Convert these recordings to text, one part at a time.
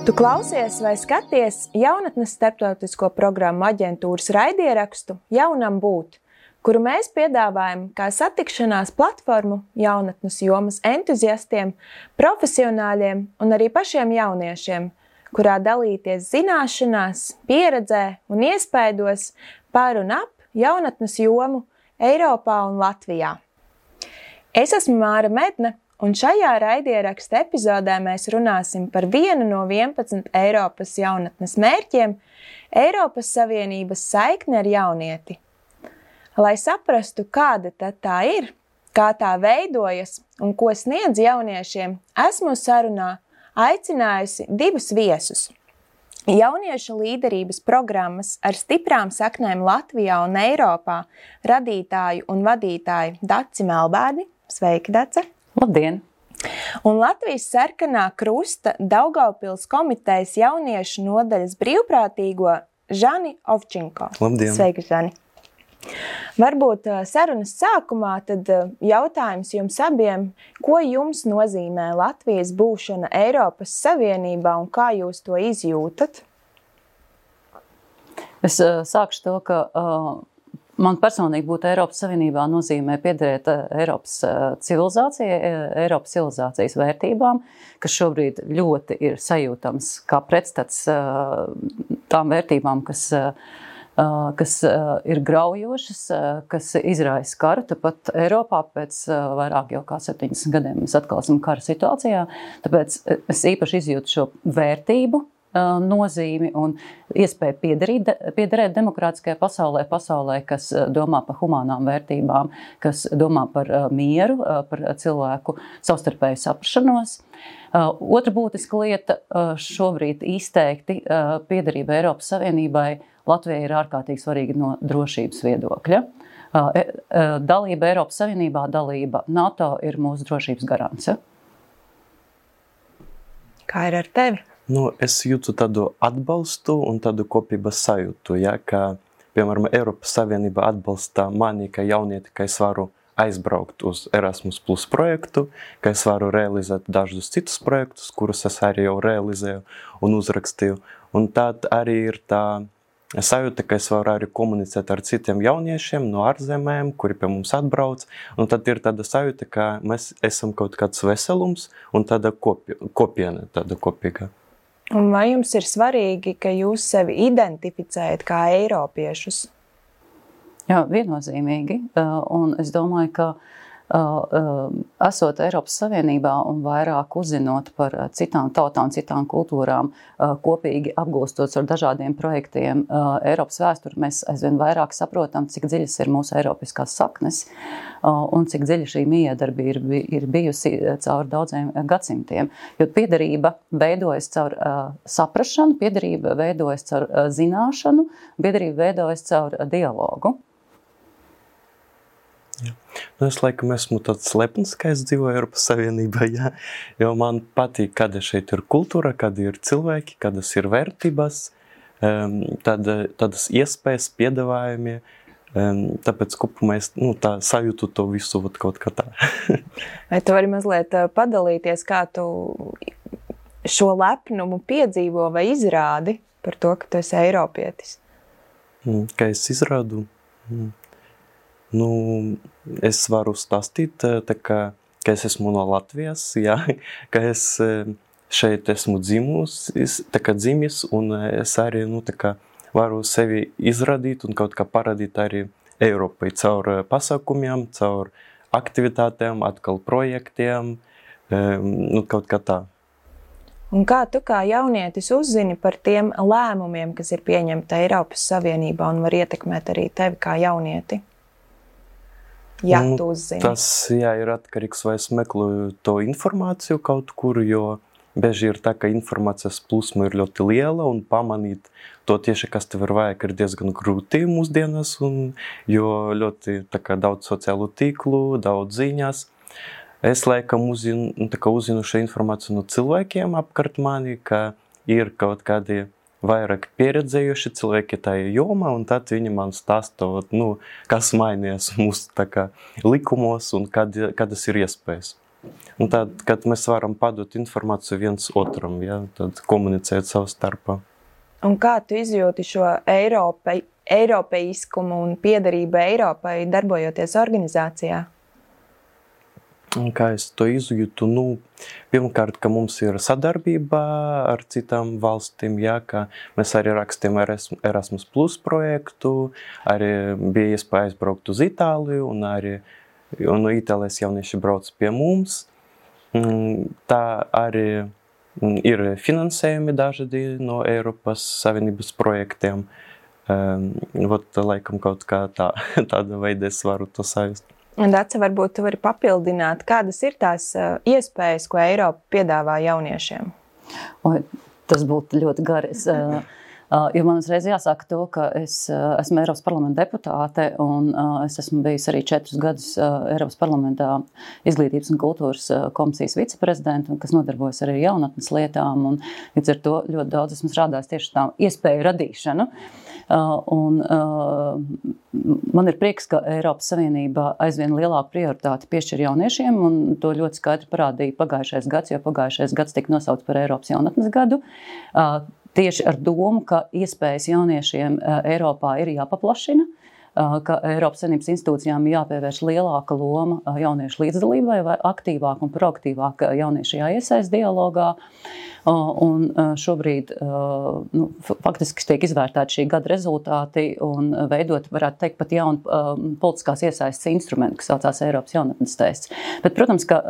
Tu klausies vai skaties jaunatnes starptautisko programmu aģentūras raidierakstu Jaunam būt, kuru mēs piedāvājam kā satikšanās platformu jaunatnes jomas entuziastiem, profesionāļiem un arī pašiem jauniešiem, kurā dalīties zināšanās, pieredzē un iespaidos par un ap jaunatnes jomu Eiropā un Latvijā. Es esmu Māra Medne, un šajā raidieraksta epizodē mēs runāsim par vienu no 11 Eiropas jaunatnes mērķiem – Eiropas Savienības saikne ar jaunieti. Lai saprastu, kāda tad tā ir, kā tā veidojas un ko sniedz jauniešiem, esmu sarunā aicinājusi divus viesus. Jauniešu līderības programmas ar stiprām saknēm Latvijā un Eiropā radītāju un vadītāju Daci Melbārdi. Sveiki, Dace! Labdien! Un Latvijas sarkanā krusta Daugavpils komitejas jauniešu nodaļas brīvprātīgo Žani Ovčinko. Labdien! Sveiki, Žani! Varbūt sarunas sākumā tad jautājums jums abiem, ko jums nozīmē Latvijas būšana Eiropas Savienībā un kā jūs to izjūtat? Es sākšu to, ka man personīgi būt Eiropas Savienībā nozīmē piederēt Eiropas civilizācijas vērtībām, kas šobrīd ļoti ir sajūtams kā pretstats tām vērtībām, kas ir graujošas, kas izraisa karu. Tāpat Eiropā pēc vairāk jau kā 70 gadiem mēs atkal esam kara situācijā, tāpēc es īpaši izjūtu šo vērtību nozīmi un iespēju piederēt demokrātiskajā pasaulē, kas domā par humānām vērtībām, kas domā par mieru, par cilvēku savstarpēju saprašanos. Otra būtiska lieta šobrīd izteikti piederība Eiropas Savienībai Latvijai ir ārkārtīgi svarīga no drošības viedokļa. Dalība Eiropas Savienībā, dalība NATO ir mūsu drošības garants. Kā ir ar tevi? Es jūtu tādu atbalstu un tādu kopības sajūtu, ka, piemēram, Eiropas Savienība atbalsta mani, kā jaunieti, ka es varu aizbraukt uz Erasmus Plus projektu, ka es varu realizēt dažus citus projektus, kurus es arī jau realizēju un uzrakstīju. Un tad arī ir tā sajūta, ka es varu arī komunicēt ar citiem jauniešiem no ārzemēm, kuri pie mums atbrauc. Un tad ir tāda sajūta, ka mēs esam kaut kāds veselums un tāda kopiena, tāda kopīga. Un vai jums ir svarīgi, ka jūs sevi identificējat kā eiropiešus? Jā, viennozīmīgi. Un es domāju, ka esot Eiropas Savienībā un vairāk uzzinot par citām tautām, citām kultūrām, kopīgi apgūstot ar dažādiem projektiem Eiropas vēsturi, mēs aizvien vairāk saprotam, cik dziļas ir mūsu eiropiskās saknes un cik dziļa šī miedarbība ir bijusi caur daudziem gadsimtiem. Jo piederība veidojas caur saprašanu, piederība veidojas caur zināšanu, piederība veidojas caur dialogu. Jā. Es laikam esmu tāds lepns, ka es dzīvoju Eiropas Savienībā, jo man patīk, kāda šeit ir kultūra, kādi ir cilvēki, kādas ir vērtības, tādas iespējas, piedāvājumi, tāpēc kopumā es tā sajūtu to visu kaut kā tā. Vai tu vari mazliet padalīties, kā tu šo lepnumu piedzīvo vai izrādi par to, ka tu esi eiropietis? Kā es izrādu? Es varu stāstīt, ka es esmu no Latvijas, ka es šeit esmu dzimis, un es arī varu sevi izrādīt un kaut kā parādīt arī Eiropai caur pasākumiem, caur aktivitātēm, atkal projektiem, kaut kā tā. Un kā tu kā jaunietis uzzini par tiem lēmumiem, kas ir pieņemti Eiropas Savienībā un var ietekmēt arī tevi kā jaunieti? Ja tu uzzini. Tas, ir atkarīgs, vai es meklēju to informāciju kaut kur, jo bieži ir tā, ka informācijas plūsma ir ļoti liela un pamanīt to tieši, kas tev ir vajag, ir diezgan grūti mūsdienas, jo ļoti daudz sociālu tīklu, daudz ziņas. Es laikam uzzinu šo informāciju no cilvēkiem apkārt mani, ka ir kaut kādi vairāk pieredzējuši cilvēki tajā jomā, un tad viņi man stāstot, kas mainījās mūsu likumos un kādas ir iespējas. Un tad, kad mēs varam padot informāciju viens otram, ja, tad komunicēt savu starpā. Un kā tu izjūti šo eiropeiskumu un piederību Eiropai, darbojoties organizācijā? Un kā es to izjūtu? Pirmkārt, ka mums ir sadarbība ar citām valstīm, ja, ka mēs arī rakstījām Erasmus Plus projektu, arī bija iespēja aizbraukt uz Itāliju, un arī no Itālijas jaunieši brauc pie mums. Tā arī ir finansējumi dažādi no Eiropas Savienības projektiem. Laikam kaut kā tāda veida es varu to sajust. Un Dace, varbūt tu vari papildināt, kādas ir tās iespējas, ko Eiropa piedāvā jauniešiem? Tas būtu ļoti gari. Jo man uzreiz jāsaka to, ka es esmu Eiropas parlamenta deputāte un es esmu bijusi arī 4 gadus Eiropas parlamentā izglītības un kultūras komisijas viceprezidenta, kas nodarbojas arī ar jaunatnes lietām. Un līdz ar to ļoti daudz esmu strādājis tieši tā iespēju radīšanu. Man ir prieks, ka Eiropas Savienība aizvien lielāku prioritāti piešķir jauniešiem, un to ļoti skaidri parādīja pagājušais gads, jo pagājušais gads tika nosaukts par Eiropas jaunatnes gadu. Tieši ar domu, ka iespējas jauniešiem Eiropā ir jāpaplašina, ka Eiropas Savienības institūcijām jāpievērš lielāka loma jauniešu līdzdalībai vai aktīvāk un proaktīvāk jaunieši jāiesaist dialogā. Un šobrīd faktiski tiek izvērtēti šī gada rezultāti un veidot, varētu teikt, pat jaunu politiskās iesaistes instrumentu, kas saucās Eiropas jaunatnes tests. Bet, protams, ka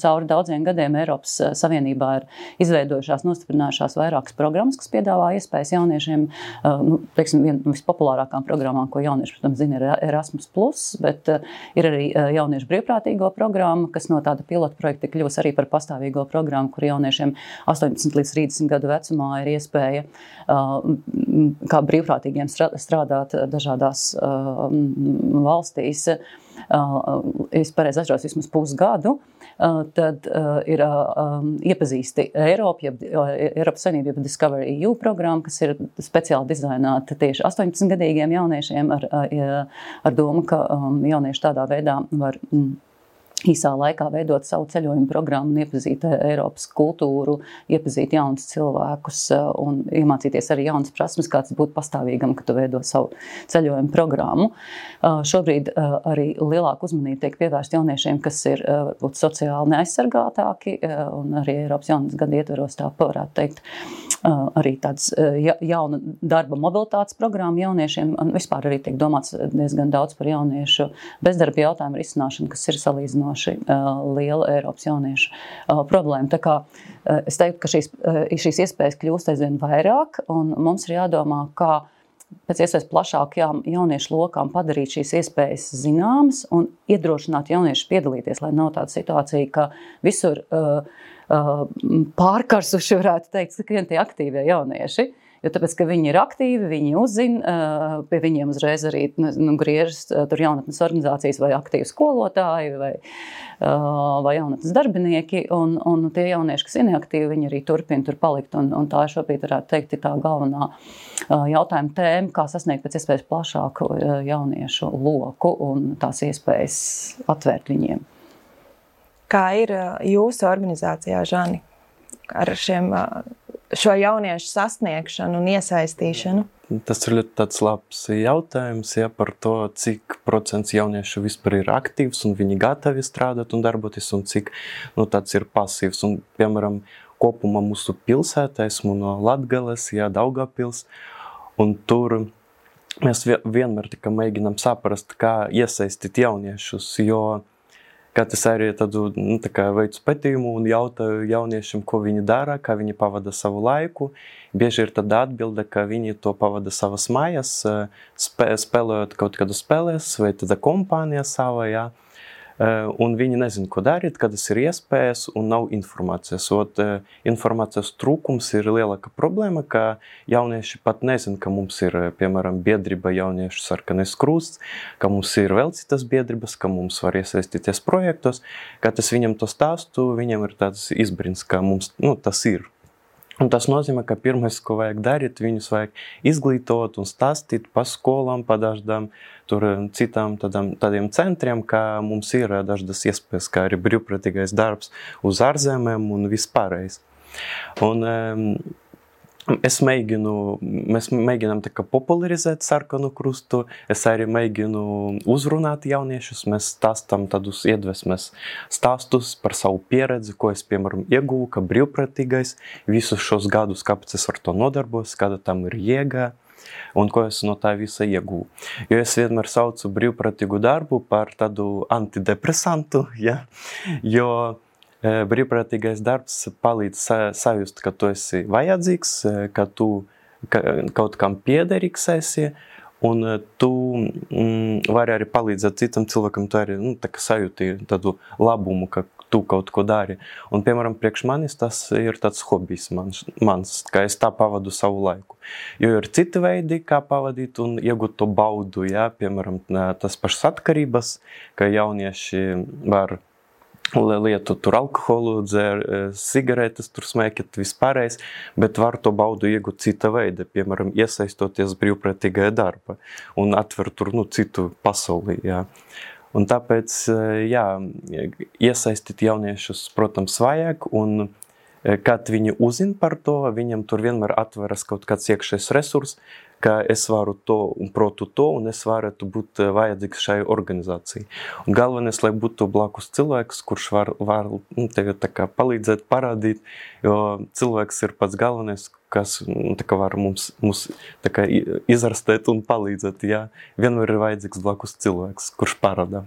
cauri daudziem gadiem Eiropas Savienībā ir izveidojušās, nostiprinājušās vairākas programmas, kas piedāvā iespējas jauniešiem, viena no vispopulārākām programmām, ko jaunieši, protams, zina, ir Erasmus Plus, bet ir arī jauniešu brīvprātīgo programma, kas no tāda pilota projekta kļūs arī par pastāvīgo programmu, kur jauniešiem 18 līdz 30 gadu vecumā ir iespēja kā brīvprātīgiem strādāt dažādās valstīs. Es pareizi atceros vismaz pusgadu, tad ir iepazīsti Eiropas Savienība, jeb Discover EU programma, kas ir speciāli dizaināta tieši 18-gadīgiem jauniešiem ar domu, ka jaunieši tādā veidā var īsā laikā veidot savu ceļojumu programmu un iepazīt Eiropas kultūru, iepazīt jaunus cilvēkus un iemācīties arī jaunas prasmes, kāds būtu pastāvīgam, ka tu veido savu ceļojumu programmu. Šobrīd arī lielāku uzmanību tiek pievērst jauniešiem, kas ir varbūt sociāli neaizsargātāki, un arī Eiropas jaunas gada ietveros tā varētu teikt arī tāds jauna darba mobilitātes programma jauniešiem, un vispār arī tiek domāts diezgan daudz par jauniešu bezdarba jautājumu risināšanu, kas ir salīdzinoši liela Eiropas jauniešu problēma. Tā kā es teiktu, ka šīs iespējas kļūst aizvien vairāk, un mums ir jādomā, kā pēc iespējas plašākajām jauniešu lokām padarīt šīs iespējas zināmas un iedrošināt jauniešus piedalīties, lai nav tāda situācija, ka visur pārkarsuši, varētu teikt, skrien tie aktīvie jaunieši. Jo tāpēc, ka viņi ir aktīvi, viņi uzzina, pie viņiem uzreiz arī griežas tur jaunatnes organizācijas vai aktīvi skolotāji vai jaunatnes darbinieki, un tie jaunieši, kas ir neaktīvi, viņi arī turpina tur palikt, un tā šobrīd varētu teikt ir tā galvenā jautājuma tēma, kā sasniegt pēc iespējas plašāku jauniešu loku un tās iespējas atvērt viņiem. Kā ir jūsu organizācijā, Žani, ar šo jauniešu sasniegšanu un iesaistīšanu? Tas ir ļoti tāds labs jautājums, ja, par to, cik procents jauniešu vispār ir aktīvs un viņi gatavi strādāt un darboties, un cik tāds ir pasīvs. Un, piemēram, kopumā mūsu pilsētā, esmu no Latgales, ja, Daugavpils, un tur mēs vienmēr tikai mēģinām saprast, kā iesaistīt jauniešus, jo kad es arī tādu veicu pētījumu un jautāju jauniešiem, ko viņi dara, kā viņi pavada savu laiku. Bieži ir tāda atbilde, ka viņi to pavada savas mājas, spēlējot kaut kādu spēlēs vai tāda kompānija savā, jā. Un viņi nezina, ko darīt, kad tas ir iespējas un nav informācijas. Informācijas trūkums ir lielāka problēma, ka jaunieši pat nezina, ka mums ir, piemēram, biedrība jauniešu Sarkanais krusts, ka mums ir vēl citas biedrības, ka mums var iesaistīties projektos. Kad es viņam to stāstu, viņam ir tāds izbrīns, ka mums tas ir. Un tas nozīmē, ka pirmais, ko vajag darīt, viņus vajag izglītot un stāstīt pa skolām, pa dažādām citām tādiem centriem, kā mums ir dažādas iespējas, kā arī brīvprātīgais darbs uz ārzemēm un vispārējais. Un mēs mēģinām tā kā popularizēt Sarkanu krustu, es arī mēģinu uzrunāt jauniešus, mēs stāstam tādus iedvesmes stāstus par savu pieredzi, ko es, piemēram, ieguvu, ka brīvprātīgais visus šos gadus, kāpēc es ar to nodarbos, kāda tam ir jēga un ko es no tā visa ieguvu. Jo es vienmēr saucu brīvprātīgu darbu par tādu antidepresantu, ja? Jo brīvprātīgais darbs palīdz sajust, ka tu esi vajadzīgs, ka tu kaut kam piederīgs esi, un tu vari arī palīdzēt citam cilvēkam, tu arī tā kā sajūti tādu labumu, ka tu kaut ko dari. Un, piemēram, priekš manis tas ir tāds hobijs mans, ka es tā pavadu savu laiku. Jo ir citi veidi, kā pavadīt un iegūt to baudu, ja? Piemēram, tas pašas atkarības, ka jaunieši var lietu tur alkoholu, dzer sigaretes, tur smēķet vispārējais, bet var to baudu iegūt cita veida, piemēram, iesaistoties brīvprātīgajā darba un atver tur, citu pasauli, jā. Un tāpēc, jā, iesaistīt jauniešus, protams, vajag, un kad viņi uzzina par to, viņam tur vienmēr atveras kaut kāds iekšējs resurs, ka es varu to un protu to, un es varētu būt vajadzīgs šai organizācijai. Un galvenais, lai būtu blakus cilvēks, kurš var tevi tā kā palīdzēt, parādīt, jo cilvēks ir pats galvenais, kas tā kā var mums tā kā izarstēt un palīdzēt, jā. Vienmēr ir vajadzīgs blakus cilvēks, kurš parādā.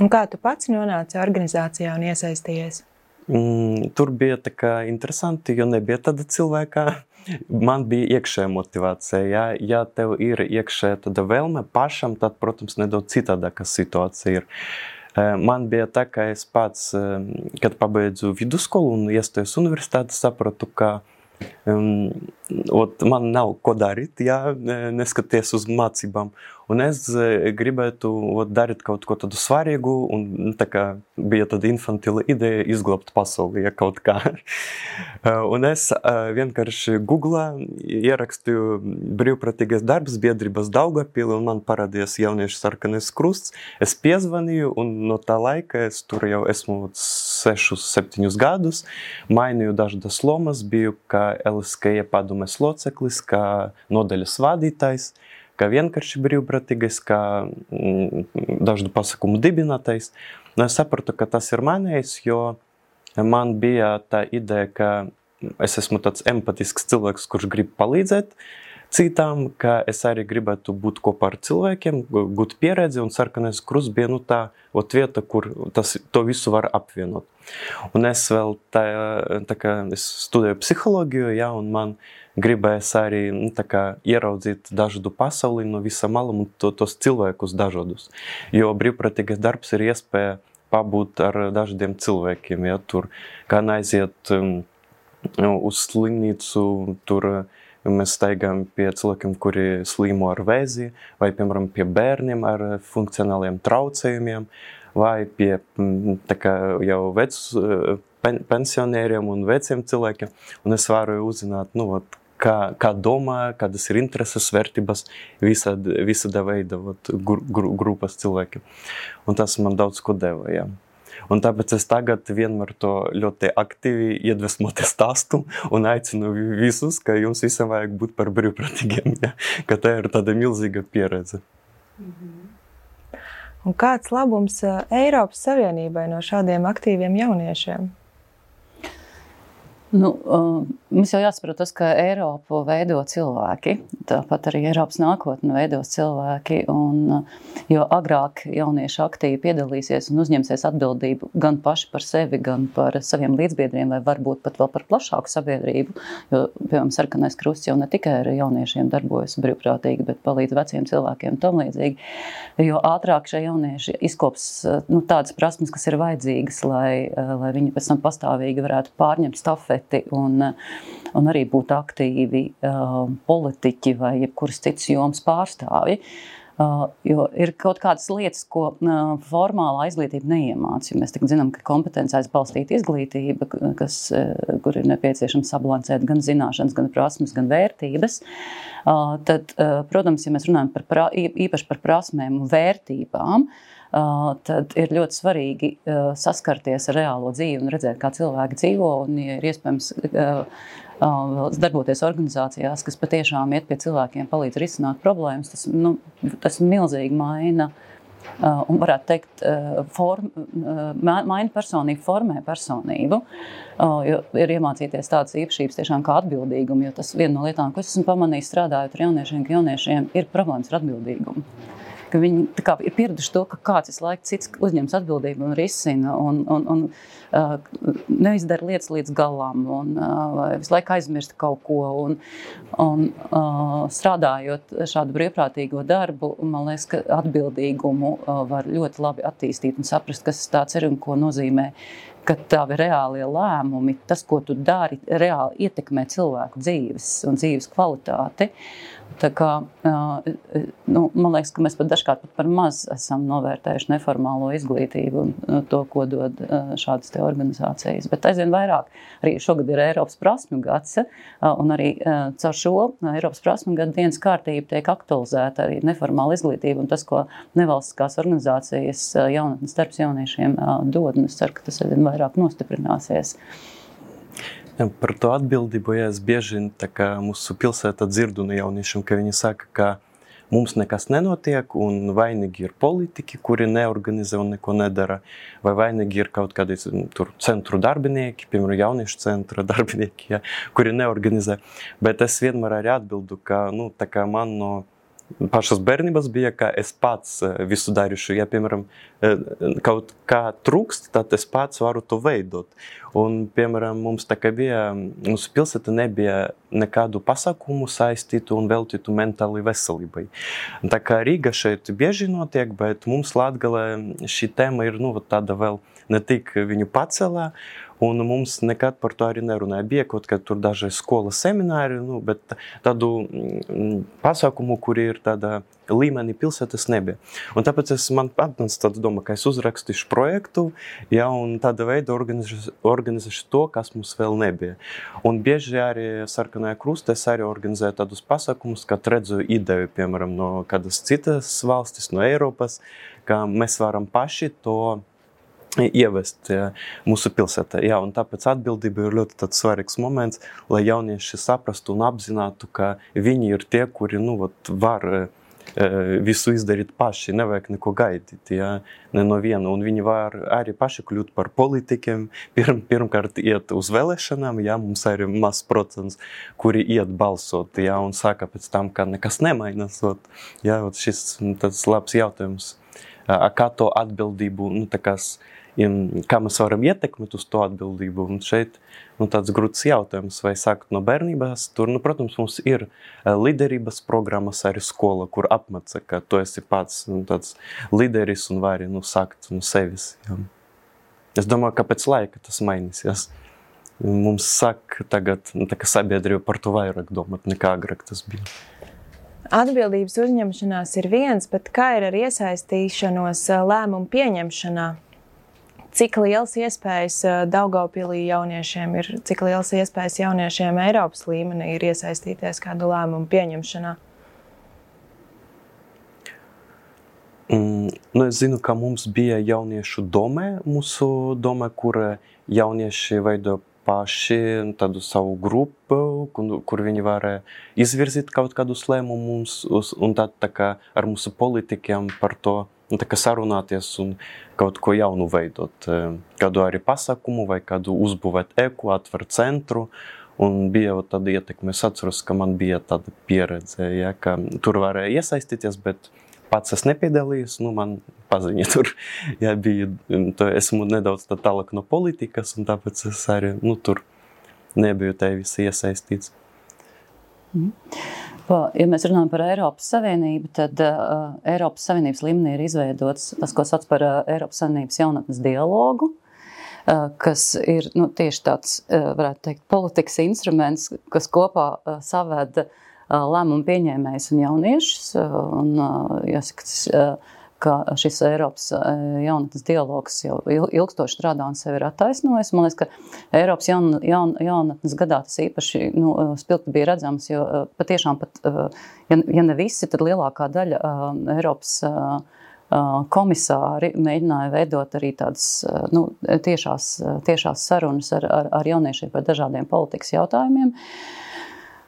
Un kā tu pats nonāci organizācijā un iesaistījies? Tur bija tā kā interesanti, jo nebija tāda cilvēka. Man bija iekšēja motivācija, ja tev ir iekšēja tāda vēlme pašam, tad, protams, nedaudz citādāka situācija ir. Man bija tā, ka es pats, kad pabeidzu vidusskolu un iestājos universitāti, sapratu, ka man nav ko darīt, ja neskaties uz mācībām. Un es gribētu darīt kaut ko tādu svarīgu, un tā kā bija tāda infantila ideja izglābt pasauli, ja kaut kā. Un es vienkārši Googlā ierakstīju brīvprātīgais darbs biedrības Daugavpili, un man parādījās jauniešu Sarkanais krusts. Es piezvanīju, un no tā laika es tur jau esmu 6-7 gadus, mainīju dažādas lomas, biju kā LSKE padomes loceklis, kā nodaļas vadītājs, kā vienkārši brīvprātīgais, kā dažādu pasākumu dibinātais. Un es sapratu, ka tas ir manējis, jo man bija tā ideja, ka es esmu tāds empatisks cilvēks, kurš grib palīdzēt citām, ka es arī gribētu būt kopā ar cilvēkiem, gūt pieredzi, un Sarkanais krusts bija tā vieta, kur to visu var apvienot. Un es vēl tā kā es studēju psiholoģiju, ja, un man gribējās arī tā kā ieraudzīt dažādu pasauli no visam malam un tos cilvēkus dažādus. Jo brīvprātīgais darbs ir iespēja pabūt ar dažādiem cilvēkiem, ja, tur kā aiziet uz slimnīcu, tur mēs staigājam pie cilvēkiem, kuri slimo ar vēzi, vai, piemēram, pie bērniem ar funkcionāliem traucējumiem, vai pie tā kā jau pensionēriem un veciem cilvēkiem. Un es varu uzzināt, kā domā, kādas ir intereses, vērtības visāda veida grupas cilvēkiem. Un tas man daudz ko deva, jā. Un tāpēc es tagad vienmēr to ļoti aktīvi iedvesmoti stāstu un aicinu visus, ka jums visam vajag būt par brīvprātīgiem, ja? Ka tā ir tāda milzīga pieredze. Un kāds labums Eiropas Savienībai no šādiem aktīviem jauniešiem? Mums jau jāsaprot tas, ka Eiropu veido cilvēki, tāpat arī Eiropas nākotni veidos cilvēki, jo agrāk jaunieši aktīvi piedalīsies un uzņemsies atbildību gan paši par sevi, gan par saviem līdzbiedriem, vai varbūt pat vēl par plašāku sabiedrību, jo, piemēram, Sarkanais krusts jau ne tikai ar jauniešiem darbojas brīvprātīgi, bet palīdz veciem cilvēkiem tam līdzīgi, jo ātrāk šie jaunieši izkops tādas prasmes, kas ir vajadzīgas, lai viņi pēc tam pastāvīgi varētu pārņemt stafeti un arī būt aktīvi politiķi vai jebkuras citas jomas pārstāvji. Jo ir kaut kādas lietas, ko formālā izglītība neiemāc. Jo mēs tagad zinām, ka kompetencēs balstīta izglītība, kur ir nepieciešams sabalansēt gan zināšanas, gan prasmes, gan vērtības. Tad, protams, ja mēs runājam īpaši par prasmēm un vērtībām, tad ir ļoti svarīgi saskarties ar reālo dzīvi un redzēt, kā cilvēki dzīvo, un ja ir iespējams darboties organizācijās, kas patiešām iet pie cilvēkiem, palīdz risināt problēmas, tas milzīgi maina un varētu teikt, maina personību, formē personību, jo ir iemācīties tādas īpašības tiešām kā atbildīgumu, jo tas viena no lietām, ko es esmu pamanījis strādājot ar jauniešiem, ka jauniešiem ir problēmas ar atbildīgumu. Ka viņi tā kā ir pieraduši to, ka kāds visu laiku cits uzņems atbildību un risina un neizdara lietas līdz galām un visu laiku aizmirst kaut ko un strādājot šādu brīvprātīgo darbu, man liekas, ka atbildīgumu var ļoti labi attīstīt un saprast, kas tāds ir un ko nozīmē, ka tavi reālie lēmumi, tas, ko tu dari, reāli ietekmē cilvēku dzīves un dzīves kvalitāti. Tā kā, man liekas, ka mēs pat dažkārt par maz esam novērtējuši neformālo izglītību un to, ko dod šādas te organizācijas. Bet aizvien vairāk, arī šogad ir Eiropas prasmju gads, un arī caur šo Eiropas prasmju gadu dienas kārtību tiek aktualizēta arī neformāla izglītība un tas, ko nevalstiskās organizācijas jaunatnes darbs jauniešiem dod, un es ceru, ka tas aizvien vairāk nostiprināsies. Par to atbildību, es bieži mūsu pilsētā dzirdu no jauniešiem, ka viņi saka, ka mums nekas nenotiek un vainīgi ir politiķi, kuri neorganizē un neko nedara, vai vainīgi ir kaut kādi centru darbinieki, piemēram, jauniešu centra darbinieki, kuri neorganizē. Bet es vienmēr arī atbildu, ka man no pašas bērnības bija, ka es pats visu darīšu. Ja, piemēram, kaut kā trūkst, tad es pats varu to veidot. Un, piemēram, mūsu pilsēta nebija nekādu pasākumu saistītu un veltītu mentāli veselībai. Tā kā Rīga šeit bieži notiek, bet mums Latgalē šī tēma ir tāda vēl ne tik viņu pacelā, un mums nekad par to arī nerunāja. Bija kaut kā tur daži skolas semināri, bet tādu pasākumu, kuri ir tāda līmenī pilsētas nebija. Un tāpēc man atnāca tāda doma, ka es uzrakstīšu projektu, un tāda veida organizēšu to, kas mums vēl nebija. Un bieži arī Sarkanajā Krustā es arī organizēju tādus pasākumus, kad redzu ideju, piemēram, no kādas citas valstis, no Eiropas, ka mēs varam paši to ievest mūsu pilsētā. Un tāpēc atbildība ir ļoti tāds svarīgs moments, lai jaunieši saprastu un apzinātu, ka viņi ir tie, kuri var visu izdarīt paši, nevajag neko gaidīt, ne no viena. Un viņi var arī paši kļūt par politikiem, pirmkārt iet uz vēlēšanām, mums arī maz procents, kuri iet balsot, un saka pēc tam, ka nekas nemainas. Šis tāds labs jautājums, kā to atbildību, kā mēs varam ietekmēt uz to atbildību. Un šeit tāds grūts jautājums, vai sākt no bērnības. Tur, protams, mums ir līderības programmas arī skola, kur apmāca, ka tu esi pats tāds līderis un vari sākt no sevis. Es domāju, ka pēc laika tas mainīsies. Mums sāk tagad sabiedrība par to vairāk domāt, nekā agrāk tas bija. Atbildības uzņemšanās ir viens, bet kā ir ar iesaistīšanos lēmumu pieņemšanā? Cik liels iespējas Daugavpilī jauniešiem ir, cik liels iespējas jauniešiem Eiropas līmenī ir iesaistīties kādu lēmumu pieņemšanā? Es zinu, ka mums bija jauniešu mūsu domē, kur jaunieši veido paši tādu savu grupu, kur viņi varēja izvirzīt kaut kādus lēmumus, un tad ar mūsu politikiem par to sarunāties un kaut ko jaunu veidot. Kādu arī pasākumu vai kādu uzbūvēt eku, atvērt centru. Un bija tāda ietekme. Es atceros, ka man bija tāda pieredze, ka tur varēja iesaistīties, bet pats es nepiedalījos, man paziņa tur. Esmu nedaudz tālāk no politikas, un tāpēc es arī tur nebiju tā visi iesaistīts. Ja mēs runājam par Eiropas Savienību, tad Eiropas Savienības līmenī ir izveidots tas, ko sauc par Eiropas Savienības jaunatnes dialogu, kas ir tieši tāds, varētu teikt, politikas instruments, kas kopā saved lēmumu pieņēmējus un jauniešus. Un, jāsaka, ka šis Eiropas jaunatnes dialogs jau ilgstoši strādā un sevi ir attaisnojis. Man liekas, ka Eiropas jaunatnes gadā tas īpaši spilgti bija redzams, jo patiešām pat, ja ne visi, tad lielākā daļa Eiropas komisāri mēģināja veidot arī tādas tiešās sarunas ar jauniešiem par dažādiem politikas jautājumiem.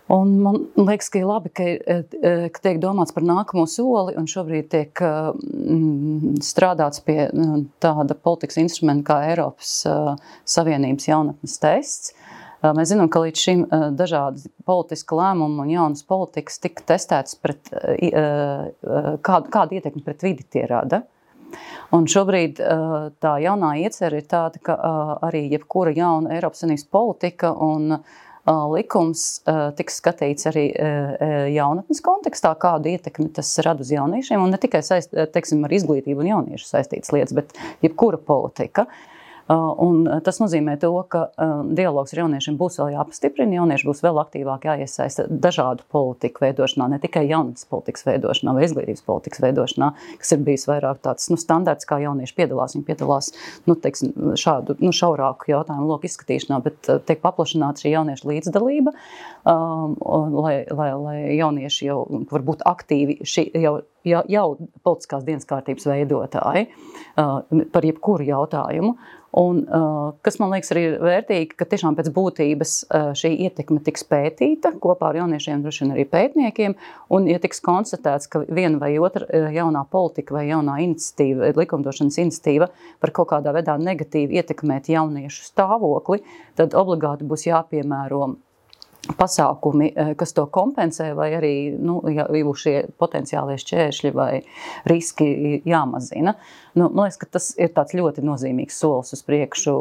Un man liekas, ka ir labi, ka tiek domāts par nākamo soli un šobrīd tiek strādāts pie tāda politikas instrumenta kā Eiropas Savienības jaunatnes tests. Mēs zinām, ka līdz šim dažādi politiski lēmumi un jaunas politikas tika testētas pret kādu ietekmi pret vidi tie rada. Un šobrīd tā jaunā iecerē ir tāda, ka arī jebkura jauna Eiropas Savienības politika un likums tiks skatīts arī jaunatnes kontekstā, kādu ietekmi tas rada uz jauniešiem, un ne tikai ar izglītību un jauniešu saistītas lietas, bet jebkura politika. Un tas nozīmē to, ka dialogs ar jauniešiem būs vēl jāpastiprina, jaunieši būs vēl aktīvāk jāiesaista dažādu politiku veidošanā, ne tikai jaunatnes politikas veidošanā vai izglītības politikas veidošanā, kas ir bijis vairāk tāds standarts, kā jaunieši piedalās. Viņi piedalās šādu šaurāku jautājumu loku izskatīšanā, bet tiek paplašināta šī jauniešu līdzdalība, lai jaunieši jau var būt aktīvi jau politiskās dienas kārtības veidotāji par jebkuru jautājumu. Un, kas man liekas arī vērtīgi, ka tiešām pēc būtības šī ietekme tiks pētīta kopā ar jauniešiem, droši vien arī pētniekiem, un ja tiks konstatēts, ka viena vai otra jaunā politika vai jaunā iniciatīva, likumdošanas iniciatīva par kaut kādā veidā negatīvi ietekmēt jauniešu stāvokli, tad obligāti būs jāpiemēro pasākumi, kas to kompensē, vai arī jau šie potenciālie šķēršļi vai riski jāmazina. Man liekas, ka tas ir tāds ļoti nozīmīgs solis uz priekšu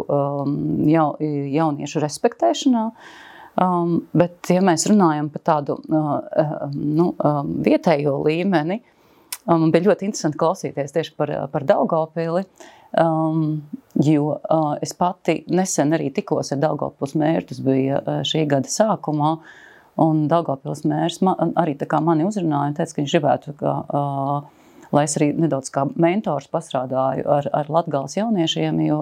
jauniešu respektēšanā, bet ja mēs runājam par tādu vietējo līmeni, man bija ļoti interesanti klausīties tieši par Daugavpili, jo es pati nesen arī tikos ar Daugavpils mēru, tas bija šī gada sākumā, un Daugavpils mērs arī tā kā mani uzrunāja un teica, ka viņš gribētu, lai es arī nedaudz kā mentors pastrādāju ar Latgales jauniešiem, jo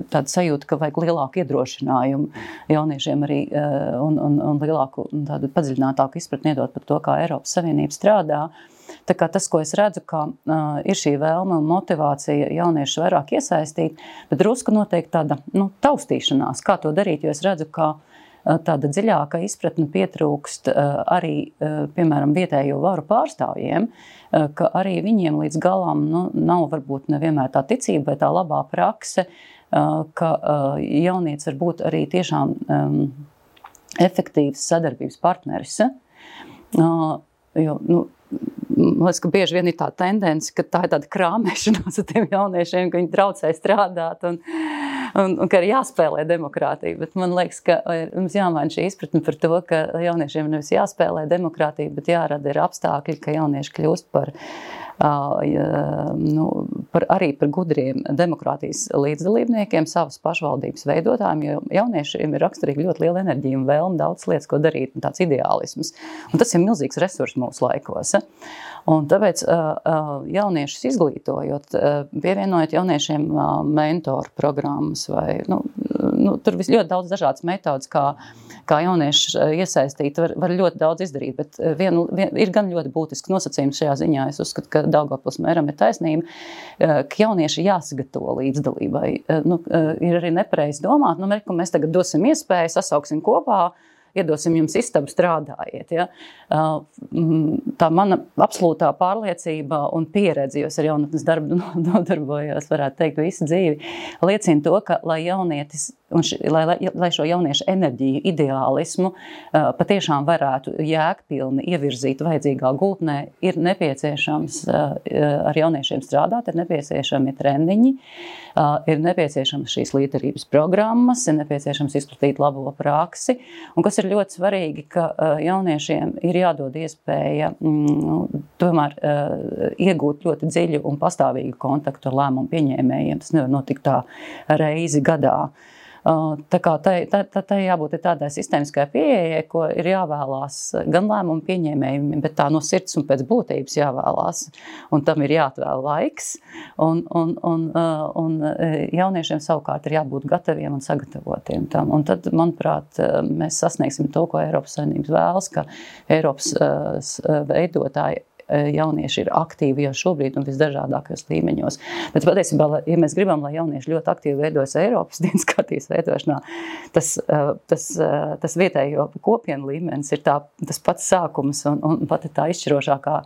tāda sajūta, ka vajag lielāku iedrošinājumu jauniešiem arī un lielāku tādu padziļinātāku izpratni iedot par to, kā Eiropas Savienība strādā. Tā kā tas, ko es redzu, ka ir šī vēlme un motivācija jauniešus vairāk iesaistīt, bet drusku noteikti tāda taustīšanās, kā to darīt, jo es redzu, ka tāda dziļāka izpratne pietrūkst arī, piemēram, vietējo varu pārstāvjiem, ka arī viņiem līdz galam nav varbūt nevienmēr tā ticība vai tā labā prakse, ka jaunietis var būt arī tiešām efektīvs sadarbības partneris. Jo, man liekas, ka bieži vien ir tā tendence, ka tā ir tāda krāmēšanās ar tiem jauniešiem, ka viņi traucē strādāt un ka ir jāspēlē demokrātija. Bet man liekas, ka mums jāmaina šī izpratne par to, ka jauniešiem nevis jāspēlē demokrātija, bet jārada ir apstākļi, ka jaunieši kļūst arī par gudriem demokrātijas līdzdalībniekiem, savas pašvaldības veidotājiem, jo jauniešiem ir raksturīgi ļoti liela enerģija un vēlme daudz lietas, ko darīt, un tāds ideālisms. Un tas ir milzīgs resurs mūsu laikos. Un tāpēc jauniešus izglītojot, pievienojot jauniešiem mentoru programmas vai, tur ļoti daudz dažādas metodas, kā jaunieši iesaistīt, var ļoti daudz izdarīt, bet ir gan ļoti būtiski nosacījums šajā ziņā. Es uzskatu, ka Daugavpils mēram ir taisnība, ka jaunieši jāsagatavo līdzdalībai. Ir arī nepareizi domāt, mēs tagad dosim iespēju, sasauksim kopā, iedosim jums istabu, strādājiet. Ja? Tā mana absolūtā pārliecība un pieredze, jo es ar jaunatnes darbu nodarbojos, varētu teikt, visu dzīvi, liecina to, ka lai jaunietis lai šo jauniešu enerģiju, ideālismu patiešām varētu jēgpilni ievirzīt vajadzīgā gultnē, ir nepieciešams ar jauniešiem strādāt, ir nepieciešami trendiņi, ir nepieciešams šīs līderības programmas, ir nepieciešams izplatīt labo praksi, un kas ir ļoti svarīgi, ka jauniešiem ir jādod iespēja tomēr iegūt ļoti dziļu un pastāvīgu kontaktu ar lēmumu pieņēmējiem. Tas nevar notikt tā reizi gadā. Tā kā tai jābūt tādai sistēmiskai pieejai, ko ir jāvēlās gan lēmumu pieņēmējiem, bet tā no sirds un pēc būtības jāvēlās. Un tam ir jāatvēl laiks. Un jauniešiem savukārt ir jābūt gataviem un sagatavotiem tam. Un tad, manuprāt, mēs sasniegsim to, ko Eiropas Savienības vēlas, ka Eiropas veidotāji jaunieši ir aktīvi jau šobrīd un visdažādākajos līmeņos. Bet patiesībā, ja mēs gribam, lai jaunieši ļoti aktīvi veidojas Eiropas dienas kārtības veidošanā, tas vietējo kopienu līmenis ir tas pats sākums un pati tā izšķirošākā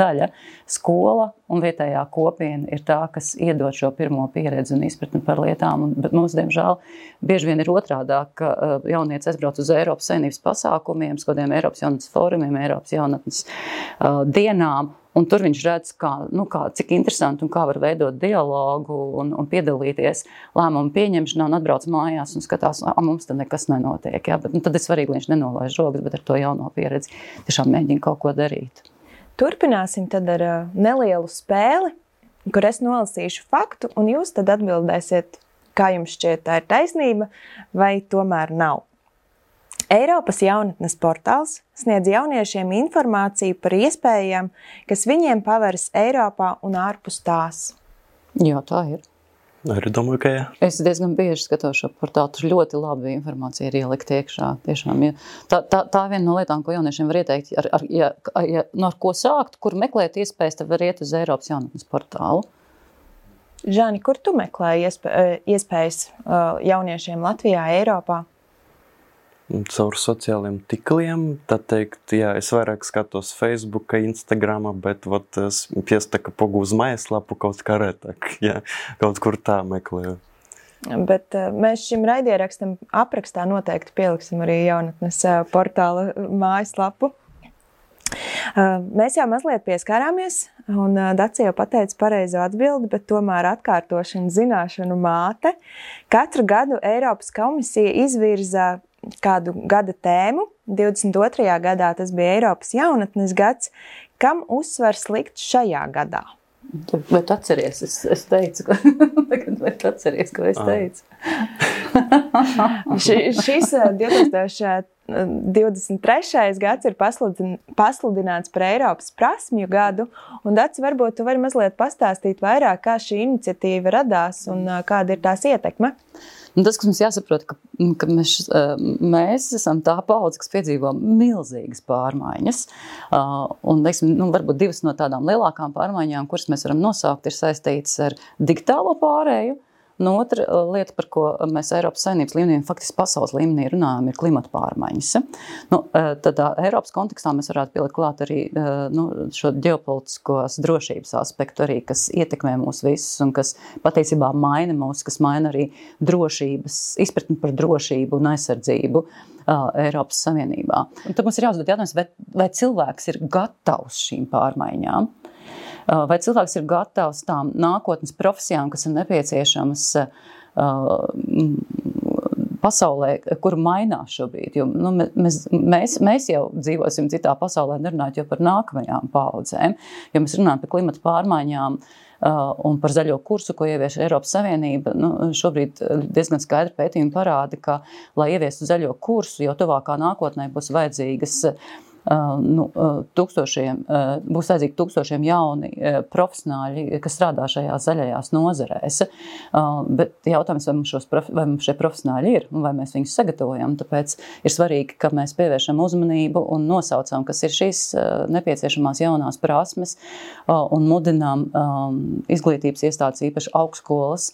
daļa. Skola un vietējā kopiena ir tā, kas iedod šo pirmo pieredzi un izpratni par lietām. Bet mums, diemžēl, bieži vien ir otrādāk, ka jaunietis aizbrauc uz Eiropas Savienības pasākumiem, kādiem Eiropas jaunatnes fórumiem, Eiropas jaunatnes dienām, un tur viņš redz, cik interesanti un kā var veidot dialogu un piedalīties lēmumu pieņemšanā un atbrauc mājās un skatās, mums tad nekas nenotiek. Ja? Bet, tad ir svarīgi, lai viņš nenolaiž rokas, bet ar to jauno pieredzi tiešām mēģina kaut ko darīt. Turpināsim tad ar nelielu spēli, kur es nolasīšu faktu, un jūs tad atbildēsiet, kā jums šķiet tā ir taisnība, vai tomēr nav. Eiropas jaunatnes portāls sniedz jauniešiem informāciju par iespējām, kas viņiem paveras Eiropā un ārpus tās. Jā, tā ir. Arī domāju, ka jā. Es diezgan bieži skatos šo portālu, tur ļoti labi informācija ir ielikt iekšā. Tiešām, ja. Tā viena no lietām, ko jauniešiem var ieteikt, ar ko sākt, kur meklēt iespējas, tad var iet uz Eiropas jaunatnes portālu. Žani, kur tu meklē iespējas jauniešiem Latvijā, Eiropā? Caur sociāliem tikliem, tad teikt, jā, es vairāk skatos Facebooka, Instagrama, bet es piestaka pogu uz mājaslapu kaut kā retāk, jā, kaut kur tā meklēju. Bet mēs šim raidierakstam aprakstā noteikti pieliksim arī jaunatnes portāla mājaslapu. Mēs jau mazliet pieskārāmies, un Dace jau pateica pareizo atbildi, bet tomēr atkārtošana zināšanu māte. Katru gadu Eiropas komisija izvirza kādu gada tēmu. 22. gadā tas bija Eiropas jaunatnes gads. Kam uzsvars likt šajā gadā? Bet atceries, es teicu, bet atceries, ko es teicu. Šis 2023. gads ir pasludināts par Eiropas prasmju gadu, un Dace, varbūt tu vari mazliet pastāstīt vairāk, kā šī iniciatīva radās un kāda ir tās ietekme? Tas, kas mums jāsaprot, ka mēs esam tā paudze, kas piedzīvo milzīgas pārmaiņas. Un, varbūt divas no tādām lielākām pārmaiņām, kuras mēs varam nosaukt, ir saistītas ar digitālo pārēju. No otra lieta, par ko mēs Eiropas Savienības līmenī un faktiski pasaules līmenī runājam, ir klimata pārmaiņas. Tad Eiropas kontekstā mēs varētu pielikt klāt arī šo ģeopolitiskos drošības aspektu arī, kas ietekmē mūs visus un kas patiesībā maina mūs, kas maina arī drošības, izpratni par drošību un aizsardzību Eiropas Savienībā. Un tad mums ir jāuzdod jautājums, vai cilvēks ir gatavs šīm pārmaiņām? Vai cilvēks ir gatavs tām nākotnes profesijām, kas ir nepieciešamas pasaulē, kur mainās šobrīd? Jo, mēs jau dzīvosim citā pasaulē, nerunājot jau par nākamajām paudzēm, jo mēs runājam par klimata pārmaiņām un par zaļo kursu, ko ievieš Eiropas Savienība. Šobrīd diezgan skaidri pētījumi parāda, ka, lai ieviestu zaļo kursu, jau tuvākā nākotnē būs vajadzīgas būs vajadzīgi tūkstošiem jauni profesionāļi, kas strādā šajās zaļajās nozarēs. Bet jautājums, vai mums šie profesionāļi ir un vai mēs viņus sagatavojam. Tāpēc ir svarīgi, ka mēs pievēršam uzmanību un nosaucam, kas ir šīs nepieciešamās jaunās prasmes un mudinām izglītības iestādes, īpaši augstskolas,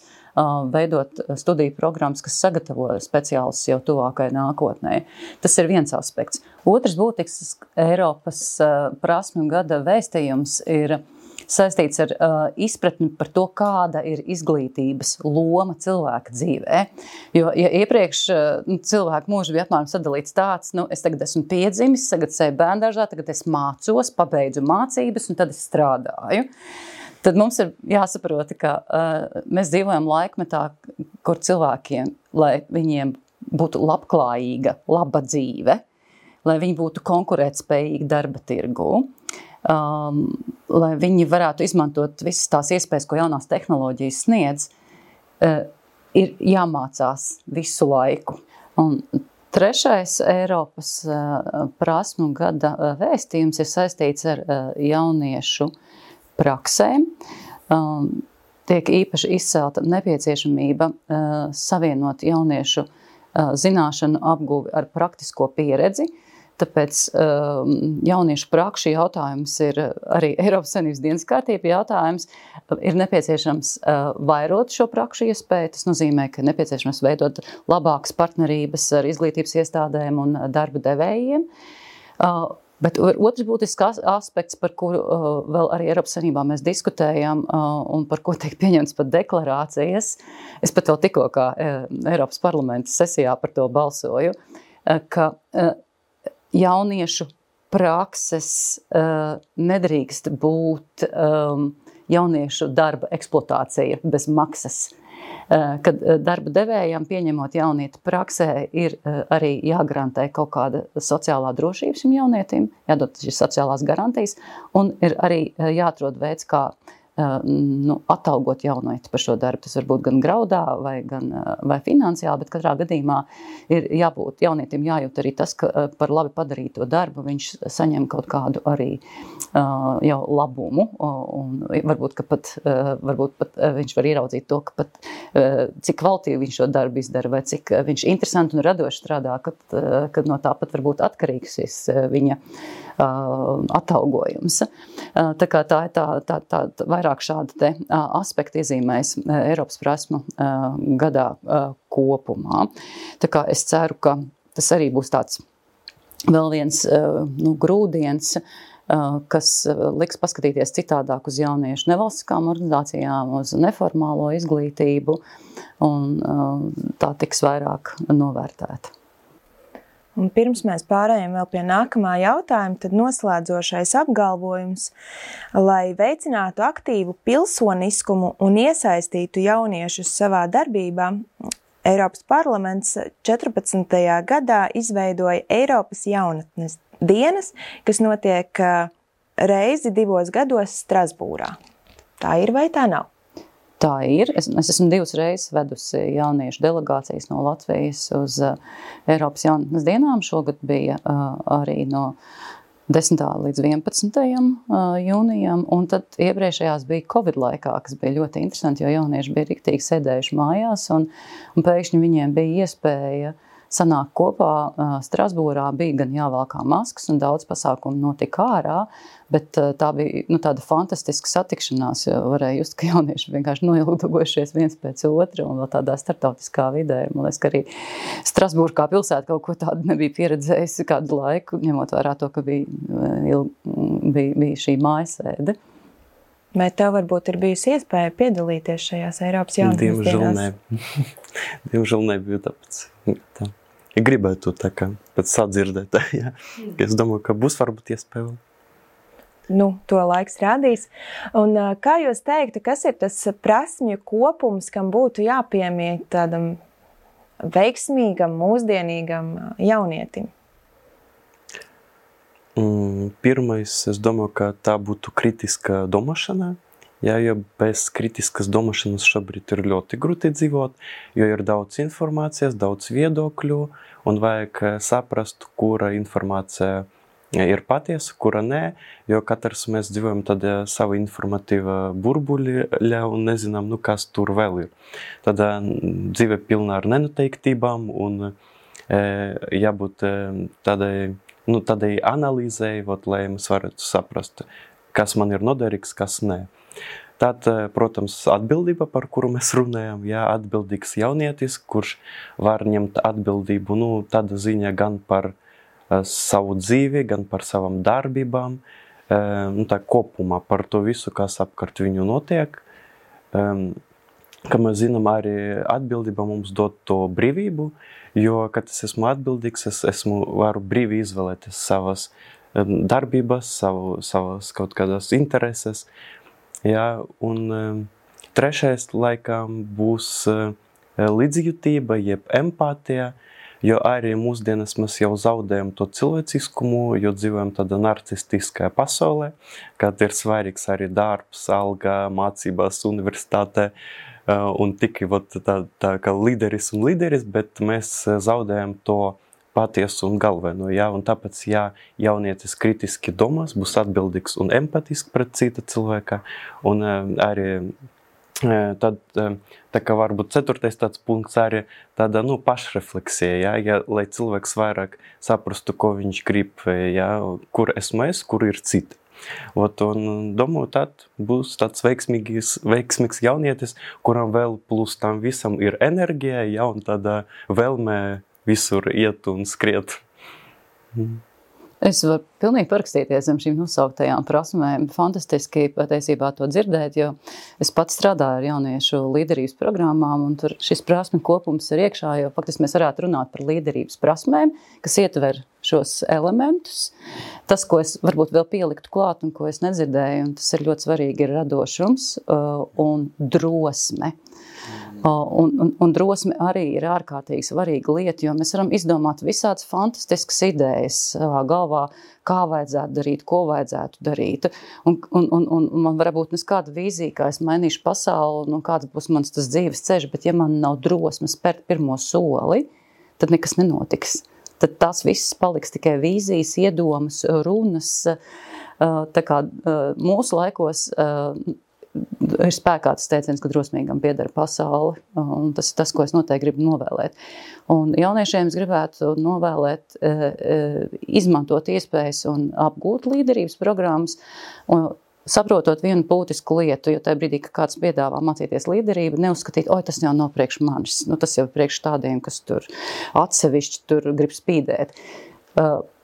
veidot studiju programmas, kas sagatavo speciālistus jau tuvākai nākotnē. Tas ir viens aspekts. Otrs būtisks Eiropas prasmju gada vēstījums ir saistīts ar izpratni par to, kāda ir izglītības loma cilvēka dzīvē. Jo ja iepriekš cilvēku mūžu bija apmēram sadalīts tāds, es tagad esmu piedzimis, tagad seju bērndārzā, tagad es mācos, pabeidzu mācības un tad es strādāju. Tad mums ir jāsaprot, ka mēs dzīvojam laikmetā, kur cilvēkiem, lai viņiem būtu labklājīga, laba dzīve, lai viņi būtu konkurētspējīgi darba tirgū, lai viņi varētu izmantot visas tās iespējas, ko jaunās tehnoloģijas sniedz, ir jāmācās visu laiku. Un trešais Eiropas prasmu gada vēstījums ir saistīts ar jauniešu praksēm. Tiek īpaši izcelta nepieciešamība savienot jauniešu zināšanu apguvi ar praktisko pieredzi. Tāpēc jauniešu prakšu jautājums ir arī Eiropas Savienības dienas kārtība jautājums. Ir nepieciešams vairot šo prakšu iespēju. Tas nozīmē, ka nepieciešams veidot labākas partnerības ar izglītības iestādēm un darba devējiem. Bet otrs būtisks aspekts, par kuru vēl arī Eiropas Savienībā mēs diskutējam un par ko tiek pieņemts pat deklarācijas. Es pat vēl tikko kā Eiropas parlamenta sesijā par to balsoju, ka jauniešu prakses nedrīkst būt jauniešu darba eksploatācija bez maksas. Kad darba devējām pieņemot jaunieti praksē, ir arī jāgarantē kaut kāda sociālā drošība šim jaunietim, jādod šīs sociālās garantijas, un ir arī jāatrod veids, kā atalgot jaunieti par šo darbu. Tas var būt gan graudā vai finansiāli, bet katrā gadījumā ir jābūt jaunietim jājūt arī tas, ka par labi padarīto darbu viņš saņem kaut kādu arī jau labumu, un varbūt pat viņš var ieraudzīt to, ka pat cik kvalitīvi viņš šo darbu izdara, vai cik viņš interesanti un radoši strādā, kad no tā pat varbūt atkarīgs viņa atalgojums. Tā kā tā ir tā vairāk šādi te aspekti iezīmēs Eiropas prasmu gadā kopumā. Tā kā es ceru, ka tas arī būs tāds vēl viens grūdiens, kas liks paskatīties citādāk uz jauniešu nevalstiskām organizācijām, uz neformālo izglītību, un tā tiks vairāk novērtēta. Un pirms mēs pārējām vēl pie nākamā jautājuma, tad noslēdzošais apgalvojums, lai veicinātu aktīvu pilsoniskumu un iesaistītu jauniešus savā darbībā, Eiropas parlaments 14. gadā izveidoja Eiropas jaunatnes dienas, kas notiek reizi 2 gados Strasbūrā. Tā ir vai tā nav? Tā ir. Es esmu 2 reizes vedusi jauniešu delegācijas no Latvijas uz Eiropas jaunatnes dienām. Šogad bija arī no 10. līdz 11. jūnijam, un tad iepriekšējās bija Covid laikā, kas bija ļoti interesanti, jo jaunieši bija riktīgi sēdējuši mājās, un pēkšņi viņiem bija iespēja sanākt kopā. Strasbūrā bija gan jāvalkā maskas, un daudz pasākumu notika ārā, bet tā bija tāda fantastiska satikšanās, jo varēja just, ka jaunieši vienkārši noilgdojušies viens pēc otra, un vēl tādā starptautiskā vidē. Man liekas, ka arī Strasbūra kā pilsēta kaut ko tādu nebija pieredzējusi kādu laiku, ņemot vērā to, ka bija šī mājasēde. Vai tev varbūt ir bijusi iespēja piedalīties šajās Eiropas jaunatnes dienās? Diemžēl nebija tāpēc. Tā. Ja gribētu tā kā pēc sadzirdēt, ja. Es domāju, ka būs varbūt iespēja. To laiks rādīs. Un kā jūs teiktu, kas ir tas prasmju kopums, kam būtu jāpiemīt tādam veiksmīgam, mūsdienīgam jaunietim? Pirmais, es domāju, ka tā būtu kritiska domāšana. Ja bez kritiskas domāšanas šobrīd ir ļoti grūti dzīvot, jo ir daudz informācijas, daudz viedokļu, un vajag saprast, kura informācija ir patiesa, kura nē, jo katrs mēs dzīvojam tādā savu informatīva burbuļā un nezinām, kas tur vēl ir. Tad dzīve pilna ar nenoteiktībām un jābūt tādai analīzei, lai mēs varētu saprast, kas man ir noderīgs, kas nē. Tad, protams, atbildība, par kuru mēs runājam, atbildīgs jaunietis, kurš var ņemt atbildību, tāda ziņa gan par savu dzīvi, gan par savam darbībām, tā kopumā par to visu, kas apkārt viņu notiek. Kā mēs zinām, arī atbildība mums dod to brīvību, jo, kad es esmu atbildīgs, varu brīvi izvēlēties savas darbības, savas kaut kādas intereses. Un trešais laikam būs līdzjūtība, jeb empātija, jo arī mūsdienas mēs jau zaudējam to cilvēciskumu, jo dzīvojam tādā narcistiskajā pasaulē, kad ir svarīgs arī darbs, alga, mācības universitātē, un tikai tā kā līderis, bet mēs zaudējam to patiesu un galveno, ja, un tāpēc, ja jaunietis kritiski domās, būs atbildīgs un empatisks pret cita cilvēka, un arī tad, tā kā varbūt 4. tāds punkts arī tāda, pašrefleksija, ja, lai cilvēks vairāk saprastu, ko viņš grib, ja, kur esmu es, kur ir citi. Un domāju, tad būs tāds veiksmīgs jaunietis, kuram vēl plus tam visam ir enerģija, ja, un tāda vēlme visur iet un skriet. Es varu pilnīgi parakstīties zem šīm nosauktajām prasmēm. Fantastiski patiesībā to dzirdēt, jo es pats strādāju ar jauniešu līderības programmām, un tur šis prasmi kopums ir iekšā, jo faktiski mēs varētu runāt par līderības prasmēm, kas ietver šos elementus. Tas, ko es varbūt vēl pieliktu klāt un ko es nedzirdēju, un tas ir ļoti svarīgi, ir radošums un drosme. Un drosme arī ir ārkārtīgi svarīga lieta, jo mēs varam izdomāt visādas fantastiskas idejas savā galvā, kā vajadzētu darīt, ko vajadzētu darīt. Un man varbūt neskāda vīzija, kā es mainīšu pasauli, kāds būs mans tas dzīves ceļš, bet ja man nav drosmes spērt pirmo soli, tad nekas nenotiks. Tad tās viss paliks tikai vīzijas, iedomas, runas. Tā kā mūsu laikos ir spēkā tas teiciens, ka drosmīgam pieder pasauli, un tas ir tas, ko es noteikti gribu novēlēt. Un jauniešiem es gribētu novēlēt izmantot iespējas un apgūt līderības programmas, un saprotot vienu būtisku lietu, jo tajā brīdī, ka kāds piedāvā mācīties līderību, neuzskatīt, tas jau nav priekš manis, tas jau priekš tādiem, kas tur atsevišķi tur grib spīdēt.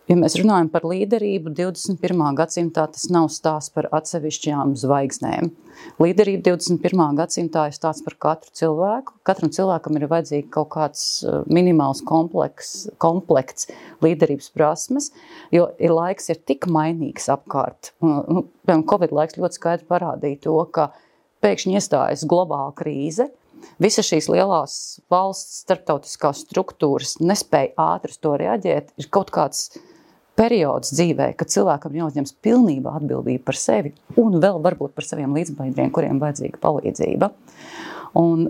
Ja mēs runājam par līderību 21. gadsimtā, tas nav stāsts par atsevišķajām zvaigznēm. Līderība 21. gadsimtā ir stāsts par katru cilvēku. Katram cilvēkam ir vajadzīgi kaut kāds minimāls komplekts līderības prasmes, jo laiks ir tik mainīgs apkārt. Covid laiks ļoti skaidri parādīja to, ka pēkšņi iestājas globāla krīze. Visas šīs lielās valsts starptautiskās struktūras nespēja ātri uz to reaģēt. Ir kaut kāds periods dzīvē, kad cilvēkam jāuzņems pilnībā atbildība par sevi un vēl varbūt par saviem līdzbiedriem, kuriem vajadzīga palīdzība. Un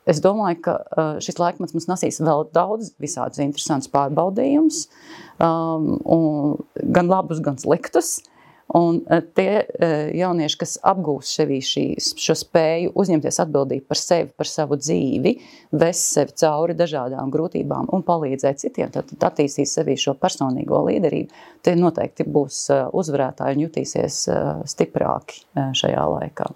es domāju, ka šis laikmets mums nesīs vēl daudz visādus interesantus pārbaudījumus, gan labus, gan sliktus. Un tie jaunieši, kas apgūst šo spēju uzņemties atbildību par sevi, par savu dzīvi, vest sevi cauri dažādām grūtībām un palīdzēt citiem, tad attīstīs sevi šo personīgo līderību, tie noteikti būs uzvarētāji un jutīsies stiprāki šajā laikā.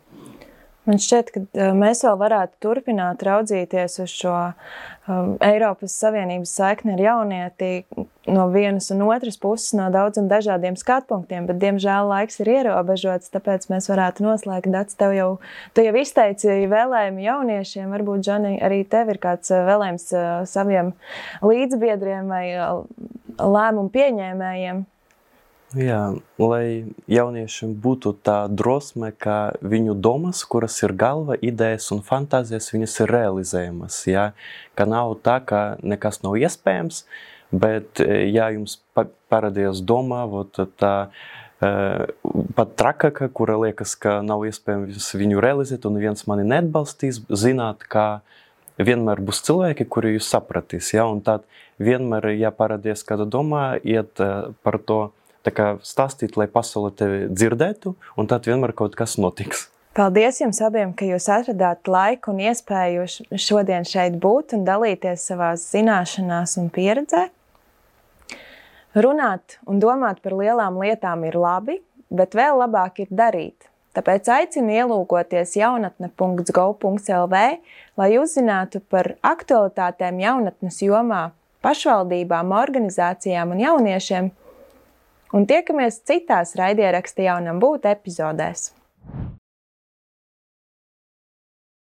Man šķiet, ka mēs vēl varētu turpināt raudzīties uz šo Eiropas Savienības saikni ar jaunieti no vienas un otras puses, no daudz un dažādiem skatpunktiem, bet, diemžēl, laiks ir ierobežots, tāpēc mēs varētu noslēgt. Dats, tu jau izteici vēlējumu jauniešiem, varbūt, Džani, arī tev ir kāds vēlējums saviem līdzbiedriem vai lēmumu pieņēmējiem? Jā, lai jauniešiem būtu tā drosme, ka viņu domas, kuras ir galva, idejas un fantāzijas, viņas ir realizējamas, ja? Ka nav tā, ka nekas nav iespējams, bet ja jums parādījās doma, tā pat trakaka, kura liekas, ka nav iespējams viņu realizēt un viens mani neatbalstīs, zināt, ka vienmēr būs cilvēki, kuri jūs sapratīs, ja? Un tad vienmēr, ja parādījās kāda doma, iet par to tā kā stāstīt, lai pasaule tevi dzirdētu, un tad vienmēr kaut kas notiks. Paldies jums abiem, ka jūs atradāt laiku un iespēju šodien šeit būt un dalīties savās zināšanās un pieredzē. Runāt un domāt par lielām lietām ir labi, bet vēl labāk ir darīt. Tāpēc aicinu ielūkoties jaunatne.gov.lv, lai uzzinātu par aktualitātēm jaunatnes jomā, pašvaldībām, organizācijām un jauniešiem, un tiekamies citās raidieraksta Jaunam būt epizodēs.